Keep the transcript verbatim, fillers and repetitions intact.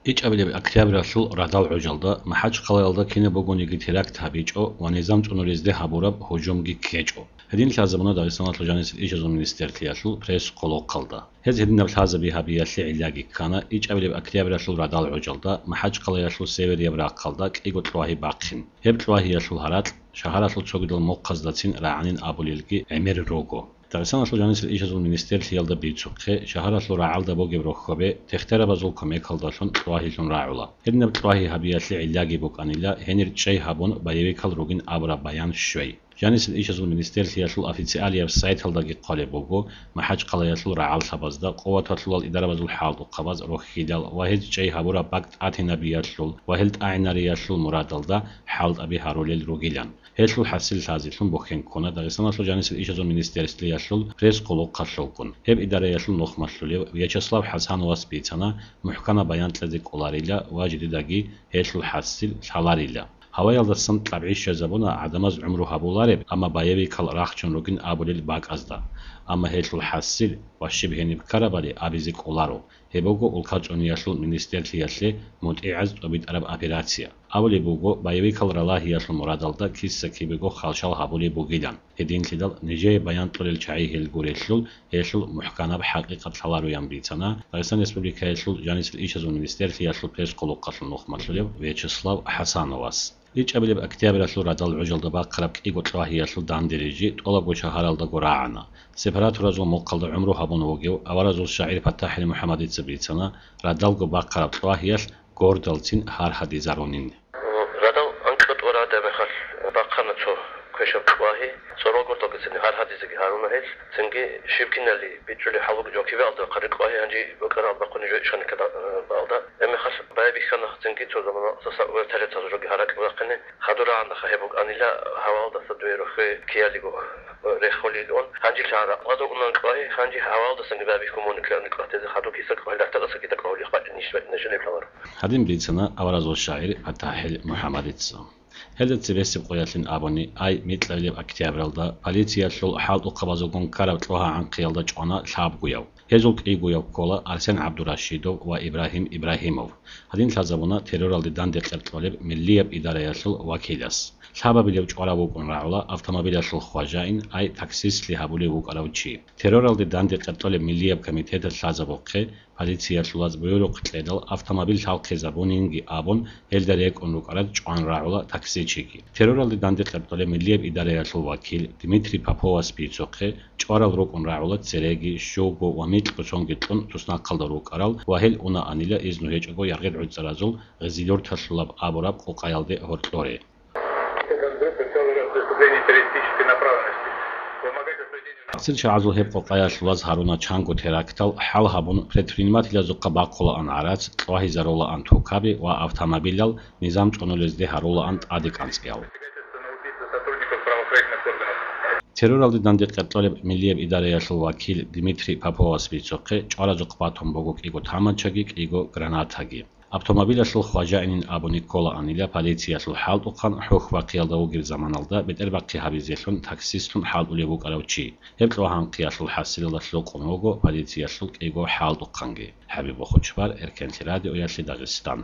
ИчӀабилеб октябралъул радал гӀужалда МахӀачхъалаялда кинаб бугониги теракт гьабичӀо ва низам цӀунулезде гьабураб гьужумги ккечӀо. Гьедин лъазабуна Дагъистаналъул жанисел ишазул министерлъиялъул пресс-хъулухъалда. Гьез гьединаб лъазаби гьабиялъе гӀиллаги ккана ичӀабилеб октябралъул радал гӀужалда МахӀачхъалаялъул северияб рахъалда кӀиго кьвагьи бахъин. Гьеб кьвагьиялъул гьаракь шагьаралъул цогидал мухъаздацин рагӀанин абулелги гӀемер руго. Дагъистаналъул жанисел ишазул министерлъиялда бицухъе, шагьаралъул рагӀалда бугеб рохьобе техтарабазул кумекалдалъун кьвагьилъун рагӀула. Гьединаб кьвагьи гьабиялъе гӀиллаги букӀанила гьенир чӀей гьабун боевикал ругин абураб баян щвей. Жанисел ишазул министерлъиялъул официалияб сайталдаги хъвалеб буго, МахӀачхъалаялъул рагӀаллъабазда къуваталъулал идарабазул хӀалтӀухъабаз рохьилал ва гьез чӀей гьабураб бакӀ тӀатинабиялъул ва гьел тӀагӀинариялъул мурадалда хӀалтӀаби гьарулел ругилан. Гьелъул хӀасил лъазелъун бухьен ккуна Дагъистаналъул жанисел ишазул министерствиялъул пресс-хъулухъалъулгун. Гьеб идараялъул нухмалъулев Вячеслав ХӀасановас бицана, мухӀканаб баян кьезе кӀоларила ва жидедаги гьелъул хӀасил лъаларила. Гьаваялдасан кьабгӀи щвезабуна гӀадамаз гӀумру гьабулареб, амма боевикал рахчун ругин абулел бакӀазда. Амма гьелъул хӀасил ва щиб гьениб ккарабали абизе кӀоларо. Гьеб буго улкал цӀуниялъул министерлъиялъе мутӀигӀаз тӀобитӀараб операция. Абулеб буго, боевикал ралагьиялъул мурадалда киса-кибего халшал гьабулеб бугилан. Гьединлъидал нижее баян кьолел чагӀи гьел гурелъул, гьелъул мухӀканаб хӀакъикъат лъалароян бицана Дагъистан Республикаялъул жанисел ишазул министерлъиялъул пресс-хъулухъалъул нухмалъулев Вячеслав ХӀасановас. ИчӀабилеб октябралъул радал гӀужалда бахъараб кӀиго кьвагьиялъул дандерижи тӀолабго шагьаралдаго рагӀана. Сепаратуразул мухъалда гӀумру гьабун вугев аваразул шагӀир ПатахӀил МухӀаммадица бицана, радалго бахъараб кьвагьиялъ гордалцин гьаргьадизарунин. Радал анкьа тӀураб мехалъ бахъана цо квешаб кьвагьи, цӀорогордалгицин гьаргьадизеги гьаруна гьел, цинги щиб кинали бичӀчӀулеб хӀал буго жо кибе алда бахъараб кьвагьи гьанже букӀараб бахъуни жо ишгъаниккада, э, балда. Гьеб мехалъ байбихьана цинги цо замана саса вертолетазул жоги гьаракь бахъине, хадур рагӀанаха гьеб букӀанила гьавалдаса дуе рохе киялиго, э, реххолилон. Гьанже лъара гьадур унан кьвагьи, гьанже гьавалдасанги байбихьун муни кьани кьватезе хадур киса кьвагьи лахтадаса кида кьвагьули хватӀи ниш нажалеб лъаларо. Гьадин бицана аваразул шагӀир ПатахӀил МухӀаммадица. Гьелда цебесеб къоялъин абуни, ай микьабилеб октябралда полициялъул хӀалтӀухъабазулгун ккараб кьвагьа анхъиялда чӀвана лъабгояв. Гьезул кӀигояв ккола Арсен ГӀабдурашидов ва Ибрагьим Ибрагьимов. Гьадин лъазабуна терроралде данде къеркьолеб миллияб идараялъул вакилас. Лъабабилев чӀварав вукӀун рагӀула автомобилялъул хважаин, ай таксистлъи гьабулев вукӀарав чи. Терроралде данде къеркьолеб миллияб комитеталъ лъазабухъе, полициялъулаз буюрухъ кьедал автомобиль лъалхъизабунинги абун, гьелда рекӀун рукӀарал чӀван рагӀула таксичиги. Терроралде данде къеркьолеб миллияб идараялъул вакил Дмитрий Поповас бицухъе, чӀварал рукӀун рагӀула цереги, щуго ва микьго сонги кьун туснахъалда рукӀарал ва гьел унаанила изну гьечӀого яргъил гӀуцӀаразул Гъизилюрталъулаб абураб къукъаялде гьоркьоре. Цин чагӀазул гьеб къукъаялъулаз гьаруна чанго терактал хӀал гьабун, предпринимателазухъа бахъулаан гӀарац, кьвагьизарулаан тукаби ва автомобилал, низам цӀунулезде гьарулаан тӀаде кӀанцӀиял. Терроралде данде къеркьолеб миллияб идараялъул вакил Дмитрий Поповас бицухъе, чӀваразухъ батун буго кӀиго таманчаги, кӀиго гранатаги. Автомобилалъул хважаинин абуни кколаанила полициялъул хӀалтӀухъан хӀухь-бахъиялда вугеб заманалда бетӀербахъи гьабизелъун таксистлъун хӀалтӀулев вукӀарав чи. Гьеб кьвагьанхъиялъул хӀасилалда лъукъун вуго полициялъул кӀиго хӀалтӀухъанги. ХӀабиб Бохучбар, Эркенлъи радиоялъе Дагъистан.